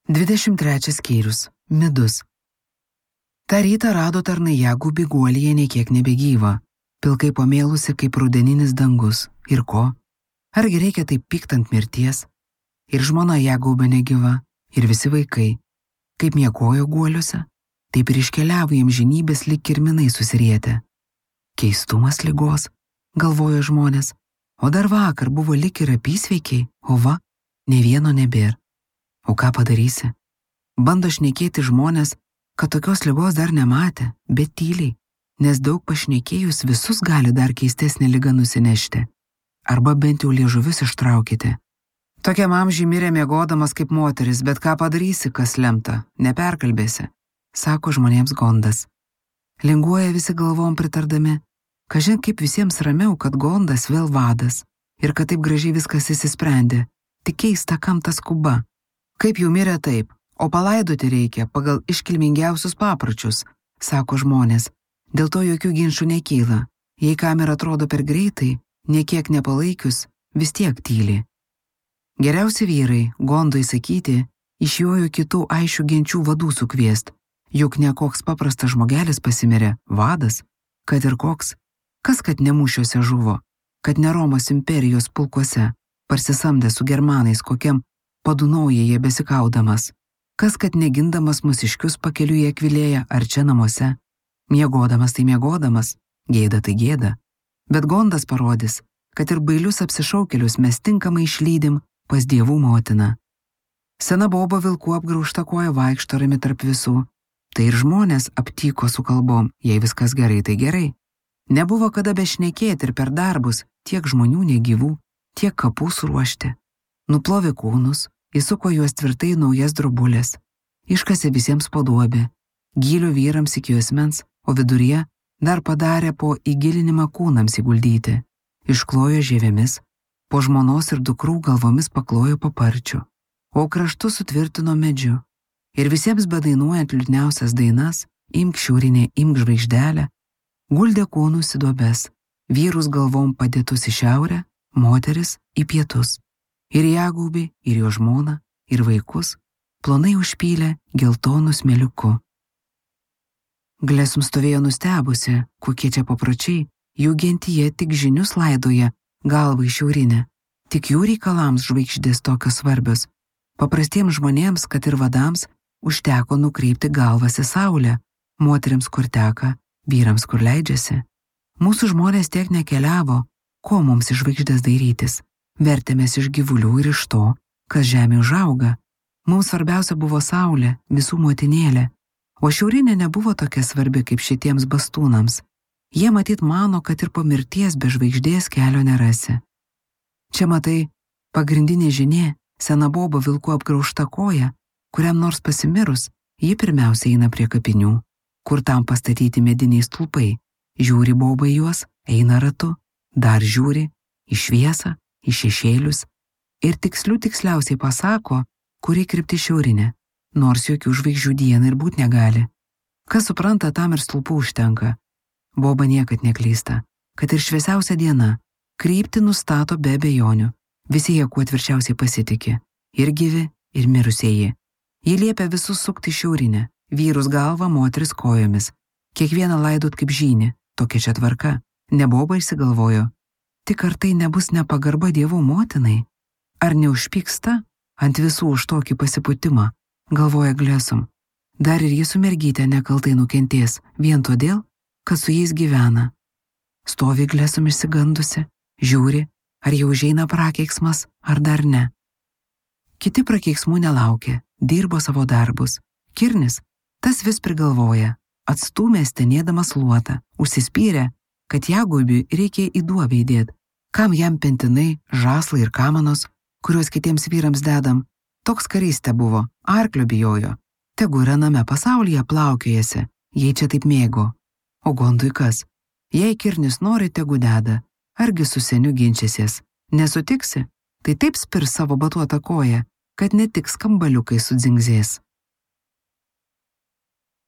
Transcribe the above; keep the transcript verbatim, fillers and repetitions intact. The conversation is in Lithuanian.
dvidešimt trečias skyrius. Midus. Ta rytą rado tarnai Jagubį guolyje nei kiek nebegyva, pilkai pamėlusi kaip rudeninis dangus. Ir ko? Argi reikia taip pyktant mirties? Ir žmona Jagubė negyva, ir visi vaikai. Kaip miegojo guoliuose, taip ir iškeliavo jiems žinybės lyg kirminai susirietę. Keistumas ligos, galvojo žmonės, o dar vakar buvo lyg ir apysveikiai, o va, ne vieno nebėr. O ką padarysi? Bando šnekėti žmonės, kad tokios ligos dar nematė, bet tyliai, nes daug pašnekėjus visus gali dar keistesnė liga nusinešti. Arba bent jau liežuvius ištraukite. Tokiam amžiui mirė miegodamas kaip moteris, bet ką padarysi, kas lemta, neperkalbėsi, sako žmonėms Gondas. Linguoja visi galvom pritardami, kažin kaip visiems ramiau, kad Gondas vėl vadas ir kad taip gražiai viskas įsisprendė, tik keista kam ta skuba. Kaip jau mirė taip, o palaidoti reikia pagal iškilmingiausius papročius, sako žmonės. Dėl to jokių ginčų nekyla. Jei kam ir atrodo per greitai, niekiek nepalaikius, vis tiek tyli. Geriausi vyrai, Gondui sakyti, išjojo kitų aišių genčių vadų sukviest, juk ne koks paprastas žmogelis pasimirė, vadas, kad ir koks, kas kad ne mūšiuose žuvo, kad ne Romos imperijos pulkuose, parsisamdė su germanais kokiam Padunaujėje besikaudamas, kas kad negindamas mūsiškius pakeliuje Akvilėje ar čia namuose, miegodamas tai miegodamas, gėda tai gėda, bet Gondas parodys, kad ir bailius apsišaukelius mes tinkamai išlydim pas dievų motiną. Sena boba vilkų apgraužta koja vaikšto rami tarp visų, tai ir žmonės aptyko su kalbom, jei viskas gerai, tai gerai. Nebuvo kada bešnekėti ir per darbus tiek žmonių negyvų, tiek kapų suruošti. Nuplovė kūnus, įsuko juos tvirtai naujas drobulės, iškasė visiems po duobę, gylio vyrams iki juosmens, o viduryje dar padarė po įgilinimą kūnams įguldyti, išklojo žievėmis, po žmonos ir dukrų galvomis paklojo paparčių, o kraštus sutvirtino medžiu, ir visiems bedainuojant liūdniausias dainas, imk šiaurinė, imk žvaigždelę, guldė kūnus į duobes, vyrus galvom padėtus į šiaurę, moteris į pietus. Ir Jagubį, ir jo žmoną, ir vaikus, plonai užpylė geltonų smėliuku. Glesum stovėjo nustebusi, kokie čia papročiai, jų gentyje tik žinius laidoja galvą į šiaurinę, tik jų reikalams žvaigždės tokios svarbios. Paprastiems žmonėms, kad ir vadams, užteko nukreipti galvas į saulę, moteriams kur teka, vyrams kur leidžiasi. Mūsų žmonės tiek nekeliavo, ko mums iš žvaigždės dairytis. Vertėmės iš gyvulių ir iš to, kas žemė užauga. Mums svarbiausia buvo saulė, visų motinėlė, o šiaurinė nebuvo tokia svarbi kaip šitiems bastūnams. Jie matyt mano, kad ir po mirties be žvaigždės kelio nerasi. Čia matai, pagrindinė žinia, sena boba vilku apgraužta koja, kuriam nors pasimirus, ji pirmiausia eina prie kapinių, kur tam pastatyti mediniai stulpai. Žiūri boba į juos, eina ratu, dar žiūri, į šviesą, į šešėlius ir tikslių tiksliausiai pasako, kuri krypti šiaurinė, nors jokių žvaigždžių dieną ir būt negali. Kas supranta, tam ir stulpų užtenka. Boba niekad neklysta, kad ir šviesiausia diena, kryptį nustato be abejonių. Visi jie kuo tvirčiausiai pasitiki, ir gyvi, ir mirusieji. Ji liepia visus sukti šiaurinę, vyrus galvą, moteris kojomis. Kiekvieną laidot kaip žynį, tokia čia tvarka. Ne boba išsigalvojo. Tik ar tai nebus nepagarba dievų motinai? Ar neužpyksta ant visų už tokį pasipūtimą, galvoja Glesum. Dar ir jis su mergytė nekaltai nukentės, vien todėl, kad su jais gyvena. Stovi Glesum išsigandusi, žiūri, ar jau užeina prakeiksmas, ar dar ne. Kiti prakeiksmų nelaukė, dirbo savo darbus. Kirnis, tas vis prigalvoja, atstūmė stenėdamas luotą, užsispyrė, kad Jagubiui reikia į duobę įdėt. Kam jam pentinai, žaslai ir kamanos, kuriuos kitiems vyrams dedam, toks karys te buvo, arklio bijojo. Tegu yra name pasaulyje plaukiojasi, jei čia taip mėgo. O Gondui kas? Jei Kirnis nori, tegu deda, argi su seniu ginčysies. Nesutiksi, tai taip spirs savo batuotą koją, kad ne tik skambaliukai sudzingzės.